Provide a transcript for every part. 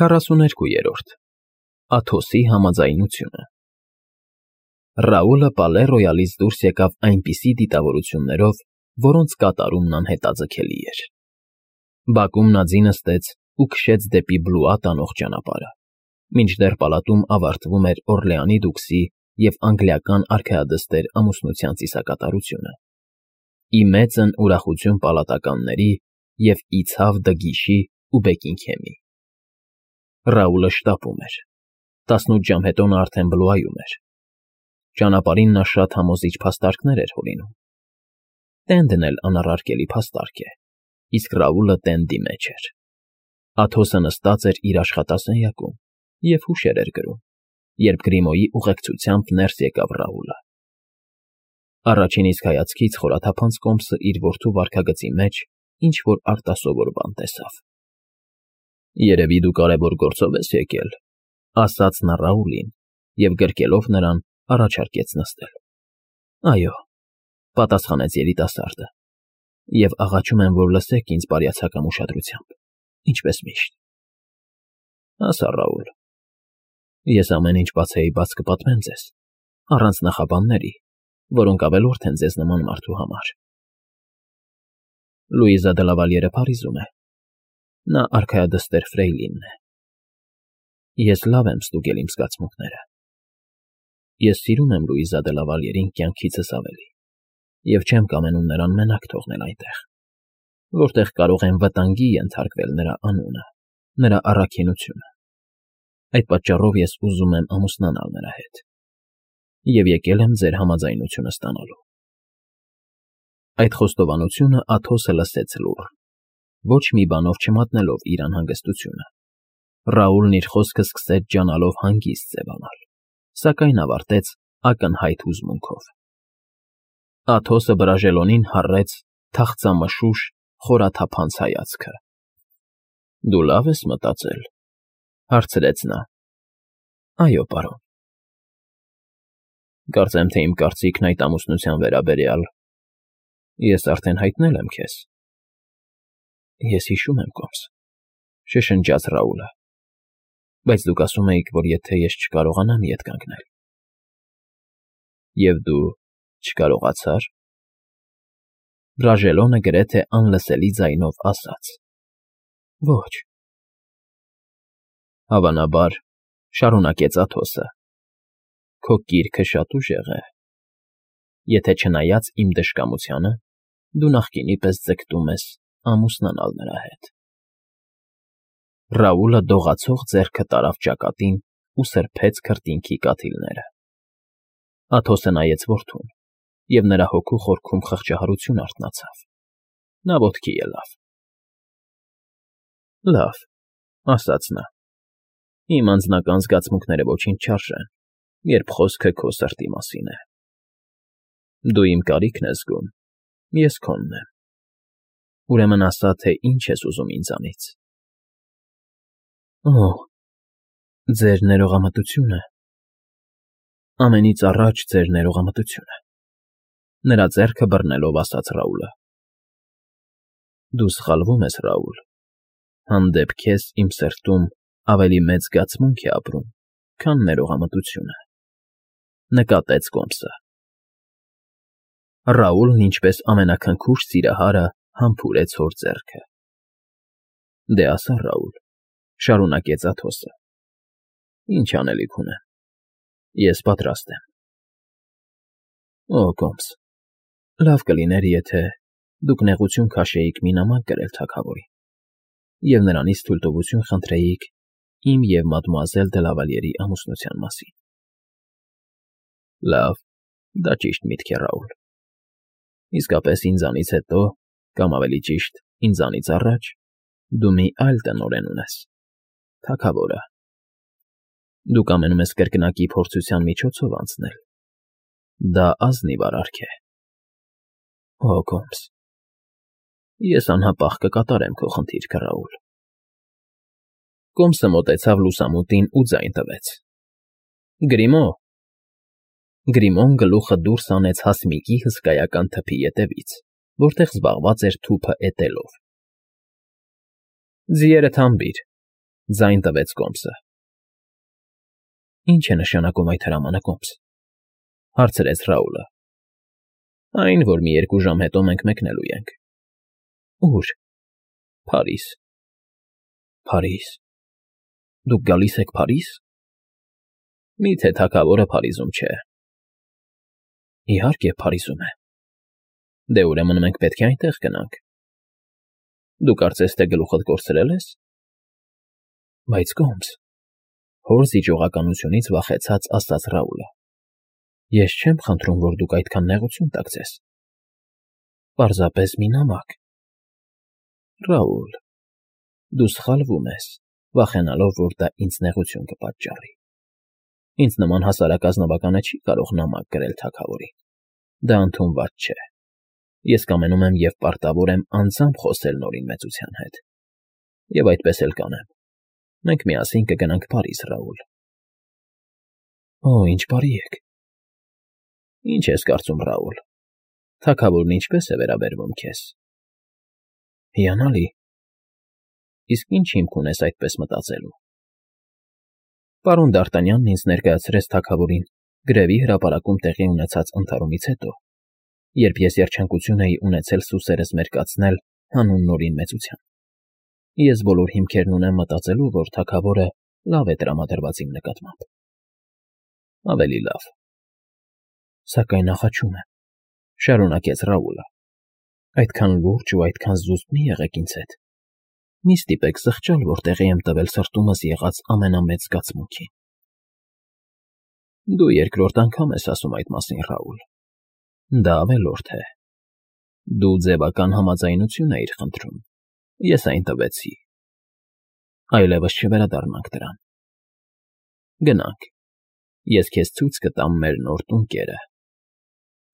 42-րդ Աթոսի համաձայնությունը Ռաուլը Պալե Ռոյալից դուրս եկավ այնպիսի դիտավորություններով, որոնց կատարումն անհետաձգելի էր։ Բակում նա ձի նստեց ու քշեց դեպի Բլուա տանող ճանապարհը, մինչդեռ պալատում ավարտվում էր Օրլեանի դուքսի և անգլիական արքայադստեր ամուսնության ծիսակատարությունը, ի մեծն ուրախություն պալատականների և ի ցավ Դգիշի ու Բեկինգհեմի։ Ռաուլը շտապում էր։ 18 ժամ հետո նա արդեն Բլուայում էր։ Ճանապարհին նա շատ համոզիչ փաստարկներ էր հորինում։ Տենդն էլ անառարկելի փաստարկ է, իսկ Ռաուլը տենդի մեջ էր։ Աթոսը նստած էր իր աշխատասենյակում և հուշեր էր գրում, երբ Գրիմոյի ուղեկցությամբ ներս եկավ Ռաուլը։ Առաջին իսկ հայացքից խորաթափանց կոմսը իր որդու վարքագծի մեջ ինչ֊որ արտասովոր բան տեսավ։ «Երևի դու կարևոր գործով ես եկել», ասաց նա Ռաուլին և գրկելով նրան առաջարկեց նստել։ «Այո», պատասխանեց երիտասարդը, «և աղաչում եմ, որ լսեք ինձ բարյացակամ ուշադրությամբ, ինչպես միշտ»։ «Ասա, Ռաուլ, ես ամեն ինչ բացեի բաց կպատմեմ ձեզ, առանց նախաբանների, որոնք ավելորդ են ձեզ նման մարդու համար։ Լուիզա դե Լավալյերը Փարիզում է, նա արքայադստեր Ֆրեյլինն է։ Ես լավ եմ ստուգել իմ զգացմունքները։ Ես սիրում եմ Լուիզա դե Լավալյերին կյանքիցս ավելի և չեմ կամենում նրան մենակ թողնել այնտեղ, որտեղ կարող եմ վտանգի ենթարկվել նրա անունը, նրա առաքինությունը։ Այդ պատճառով ես ուզում եմ ամուսնանալ նրա հետ և եկել եմ ձեր համաձայնությունը ստանալու»։ Այդ խոստովանությունը Աթոսը լսեց լուռ, ոչ մի բանով չմատնելով իր անհանգստությունը։ Ռաուլն իր խոսքը սկսեց ջանալով հանգիստ ձևանալ, սակայն ավարտեց ակնհայտ հուզմունքով։ Աթոսը Բրաժելոնին հառեց թախծամշուշ խորաթափանց հայացքը։ «Դու լավ ես մտածել», հարցրեց նա։ «Այո, պարոն»։ «Կարծեմ, թե իմ կարծիքն այդ ամուսնության վերաբերյալ ես արդեն հայտնել եմ քեզ»։ «Ես հիշում եմ, կոմս», շշնջաց Ռաուլը, «բայց դուք ասում էիք, որ եթե ես չկարողանամ ետ կանգնել»։ «Եվ դու չկարողացա՞ր»։ Բրաժելոնը գրեթե անլսելի ձայնով ասաց. «Ոչ»։ «Հավանաբար», շարունակեց Աթոսը, «քո կիրքը շատ ուժեղ է, եթե չնայած իմ դժկամությանը, դու նախկինի պես ձգտում ես ամուսնանալ նրա հետ»։ Ռաուլը դողացող ձեռքը տարավ ճակատին ու սրբեց քրտինքի կաթիլները։ Աթոսը նայեց որդուն, և նրա հոգու խորքում խղճահարություն արթնացավ։ Նա ոտքի ելավ։ «Լավ», ասաց նա, «իմ անձնական զգացմունքները ոչինչ չարժեն, երբ խոսքը քո սրտի մասին է։ Դու իմ կարիքն ես զգում, ես քոնն եմ։ Ուրեմն ասա, թե ինչ ես ուզում ինձանից»։ «Օ, ձեր ներողամտությունը, ամենից առաջ ձեր ներողամտությունը», նրա ձեռքը բռնելով ասաց Ռաուլը։ «Դու սխալվում ես, Ռաուլ, հանդեպ քեզ իմ սրտում ավելի մեծ զգացմունք է ապրում, քան ներողամտությունը», նկատեց կոմսը։ Ռաուլն ինչպես ամենաքնքուշ սիրահարը համբուրեց հոր ձեռքը։ «Դե ասա, Ռաուլ», շարունակեց Աթոսը, «ինչ անելիք ունեմ, ես պատրաստ եմ»։ «Օ, կոմս, լավ կլիներ, եթե դուք նեղություն քաշեիք մի նամակ գրել թագավորին և նրանից թույլտվություն խնդրեիք իմ և մադմուազել դե Լավալյերի ամուսնության մասին»։ «Լավ, դա ճիշտ միտք է, Ռաուլ։ Իսկապես ինձանից հետո, կամ ավելի ճիշտ, ինձանից առաջ, դու մի այլ տնօրեն ունես՝ թագավորը։ Դու կամենում ես կրկնակի փորձության միջոցով անցնել։ Դա ազնիվ արարք է։ Օ, կոմս, ես անհապաղ կկատարեմ քո խնդիրքը, Ռաուլ»։ Կոմսը մոտեցավ լուսամուտին ու ձայն տվեց. «Գրիմո»։ Գրիմոն գլուխը դուրս հանեց հասմիկի հսկայական թփի ետևից, որտեղ զբաղված էր թուփը էտելով։ «Ձիերդ հանբիր», Ձայն տվեց կոմսը։ Ինչ է նշանակում այդ հրամանը, կոմս, հարցրեց Ռաուլը։ Այն, որ մի 2 ժամ հետո մենք մեկնելու ենք։ Ո՞ւր։ Փարիզ։ Փարիզ։ Դուք գալիս եք Փարիզ։ Միթե թագավորը Փարիզում չէ։ Իհարկե, Փարիզում է։ Դե ուրեմն մենք պետք է այնտեղ գնանք։ Դու կարծես թե գլուխդ կորցրել ես։ Բայց կոմս, հոր զիջողականությունից վախեցած ասաց Ռաուլը։ Ես չեմ խնդրում, որ դուք այդքան նեղություն տաք ձեզ։ Պարզապես մի նամակ։ Ռաուլ, դու սխալվում ես, վախենալով, որ դա ինձ նեղություն կպատճառի։ Ինձ նման հասարակ ազնվականը չի կարող նամակ գրել թագավորին։ Դա ընդունված չէ։ Ես կամենում եմ և պարտավոր եմ անձամբ խոսել Նորին մեծության հետ։ Եվ այդպես էլ կանեմ։ Մենք միասին կգնանք Փարիզ, Ռաուլ։ Օ, ինչ բարի եք։ Ինչ ես կարծում, Ռաուլ։ Թագավորն ինչպես է վերաբերվում քեզ։ Հիանալի։ Իսկ ինչ հիմք ունես այդպես մտածելու։ Պարոն Դ'Արտանյանն ինձ ներկայացրեց թագավորին գրևի հրապարակում տեղի ունեցած ընդհարումից հետո, երբ ես երջանկություն էի ունեցել սուսերս մերկացնել հանուն Նորին մեծության։ Ես բոլոր հիմքերն ունեմ մտածելու, որ թագավորը լավ է տրամադրված իմ նկատմամբ։ Ավելի լավ։ Սակայն աղաչում եմ, շարունակեց Ռաուլը։ Այդքան լուրջ ու այդքան զուսպ մի եղեք ինձ հետ։ Մի ստիպեք զղջալ, որ տեղի եմ տվել սրտումս եղած ամենամեծ զգացմունքին։ Դու երկրորդ անգամ ես ասում այդ մասին, Ռաուլ։ Դա ավելորդ է։ Դու ձևական համաձայնություն էիր խնդրում։ Ես այն տվեցի։ Այլևս չվերադառնանք դրան։ Գնանք։ Ես քեզ ցույց կտամ մեր նոր տունկերը։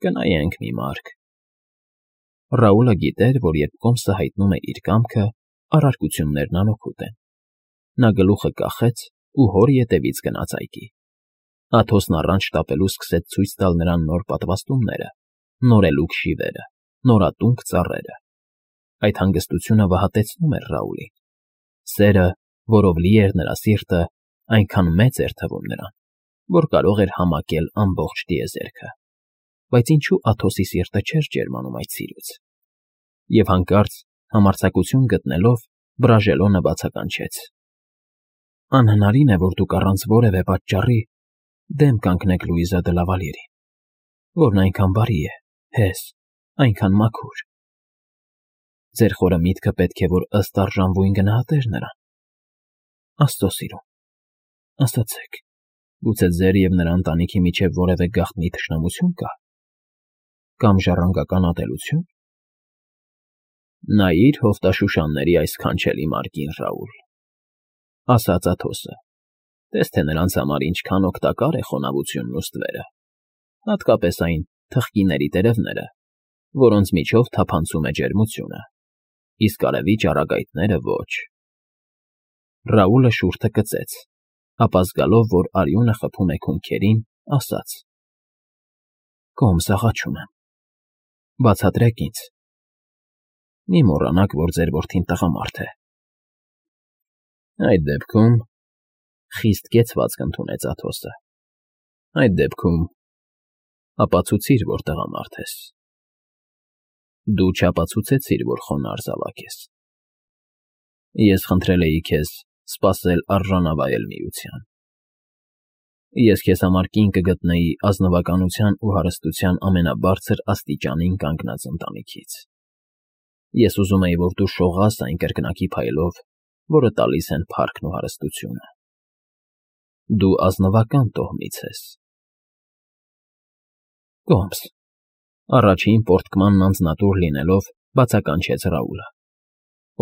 Կնայենք մի մարք։ Ռաուլը գիտեր, որ երբ կոմսը հայտնում է իր կամքը, առարկություններն անօգուտ են։ Նա գլուխը կախեց ու հոր ետևից գնաց այգի։ Աթոսն առանց շտապելու սկսեց ցույց տալ նրան նոր պատվաստումները, նորելուկ շիվերը, նորատունկ ծառերը։ Այդ հանգստությունը վհատեցնում էր Ռաուլին։ Սերը, որով լի էր նրա սիրտը, այնքան մեծ էր թվում նրան, որ կարող էր համակել ամբողջ տիեզերքը։ Բայց ինչու Աթոսի սիրտը չէր ջերմանում այդ սիրուց։ Եվ հանկարծ, համարձակություն գտնելով, Բրաժելոնը բացականչեց. Անհնարին է, որ դուք առանց որևէ պատճառի դեմ կանգնեք Լուիզա դը Լավալյերին, որն այնքան բարի է, հես, այնքան մաքուր։ Ձեր խորը միտքը պետք է, որ ըստ արժանվույն գնահատեր նրան։ Աստծո սիրուն, ասացեք, գուցե ձեր և նրա ընտանիքի միջև որևէ գաղտնի թշնամություն կա։ Կամ ժառանգական ատելություն։ Նայիր հովտաշուշանների այս քանչելի մարգին, Ռաուլ, ասաց Աթոսը, տես թե նրանց համար ինչքան օգտակար է խոնավությունն ու ստվերը, հատկապես այն թխկիների տերևները, որոնց միջով թափանցում է ջերմությունը, իսկ արևի ճառագայթները ոչ։ Ռաուլը շուրթը կծեց, ապա զգալով, որ արյունը խփում է քունքերին, ասաց. Կոմս, աղաչում եմ, բացատրեք ինձ։ Մի մոռանաք, որ ձեր որդին տղամարդ է։ Այդ դեպքում, խիստ կեցված կընդունեց Աթոսը, այդ դեպքում ապացուցիր, որ տղամարդ ես։ Դու չապացուցեցիր, որ խոնարհ զավակ ես։ Ես խնդրել էի քեզ սպասել արժանավայել միության։ Ես քեզ համար կին կգտնեի ազնվականության ու հարստության ամենաբարձր աստիճանին կանգնած ընտանիքից։ Ես ուզում էի, որ դու շողաս այն կրկնակի փայլով, որը տալիս են փառքն ու հարստությունը։ Դու ազնվական տոհմից ես։ Կոմս, առաջին պորտկմանն անձնատուր լինելով, բացականչեց Ռաուլը։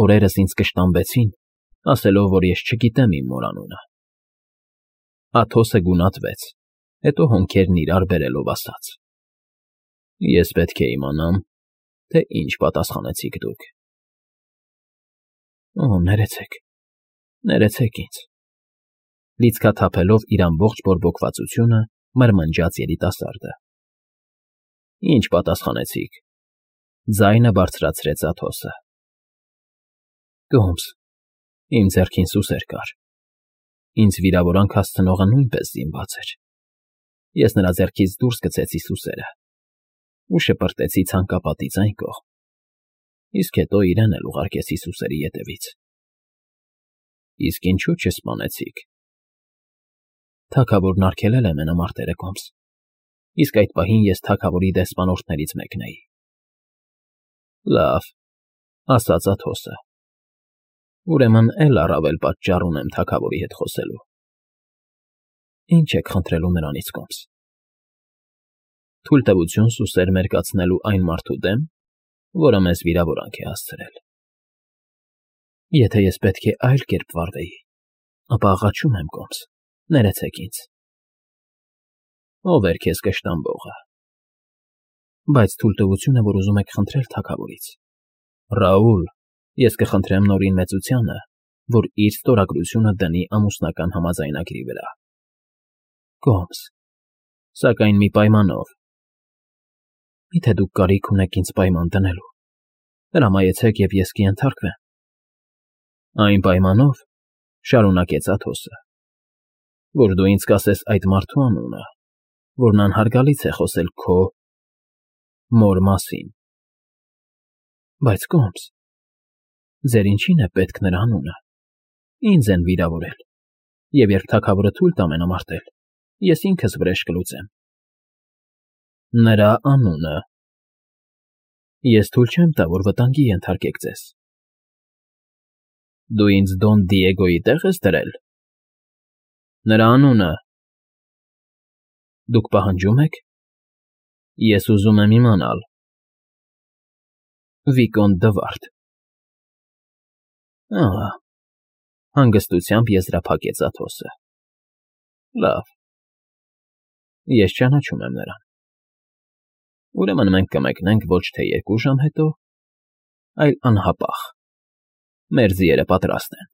Օրերս ինձ կշտամբեցին, ասելով, որ ես չգիտեմ իմ մոր անունը։ Աթոսը գունատվեց, հետո հոնքերն իրար բերելով ասաց. Ես պետք է իմանամ, թե ինչ պատասխանեցիք դուք։ Օ, ներեցեք ինձ։ Լիցքաթափելով իր ամբողջ բորբոքվածությունը, մրմնջաց երիտասարդը։ Ինչ պատասխանեցիք։ Ձայնը բարձրացրեց Աթոսը։ Կոմս, իմ ձեռքին սուսեր կար, Ինձ վիրավորանք հասցնողը նույնպես զինված էր։ Ես նրա ձեռքից դուրս գցեցի սուսերը ու շպրտեցի ցանկապատից այն կողմ, իսկ հետո իրեն էլ ուղարկեցի սուսերի ետևից։ Իսկ ինչու չսպանեցիք։ Թագավորն արգելել է մենամարտերը կոմս, իսկ այդ պահին ես թագավորի դեսպանորդներից մեկն էի։ Լավ, ասաց Աթոսը։ Ուրեմն էլ առավել պատճառ ունեմ թագավորի հետ խոսելու։ Ինչ եք խնդրելու նրանից կոմս։ Թույլտվություն սուսեր մերկացնելու այն մարդու դեմ, որը մեզ վիրավորանք է հասցրել։ Եթե ես պետք է այլ կերպ վարվեի, ապա աղաչում եմ կոմս, ներեցեք ինձ։ Ով էր քեզ կշտամբողը։ Բայց թույլտվությունը, որ ուզում եք խնդրել թագավորից։ Ռաուլ, ես կխնդրեմ Նորին մեծությանը, որ իր ստորագրությունը դնի ամուսնական համաձայնագրի վրա։ Կոմս, սակայն մի պայմանով։ Միթե դուք կարիք ունեք ինձ պայման դնելու։ Հրամայեցեք, և ես կենթարկվեմ։ Այն պայմանով, շարունակեց Աթոսը, որ դու ինձ կասես այդ մարդու անունը, որն անհարգալից է խոսել քո մոր մասին։ Բայց կոմս, ձեր ինչին է պետք նրա անունը։ Ինձ են վիրավորել, և երբ թագավորը թույլ տա մենամարտել, ես ինքս վրեժ կլուծեմ։ Նրա անունը։ Ես թույլ չեմ տա, որ վտանգի ենթարկեք ձեզ։ Դու ինձ Դոն Դիեգոյի տեղ ես դրել։ Նրա անունը։ Դուք պահանջում եք։ Ես ուզում եմ իմանալ։ Վիկոնտ Դվարդ։ Ահա, հանգստությամբ եզրափակեց Աթոսը։ Լավ։ Ես ճանաչում եմ նրան։ Ուրեմն մենք կմեկնենք ոչ թե 2 ժամ հետո, այլ անհապաղ։ Մեր ձիերը պատրաստ են։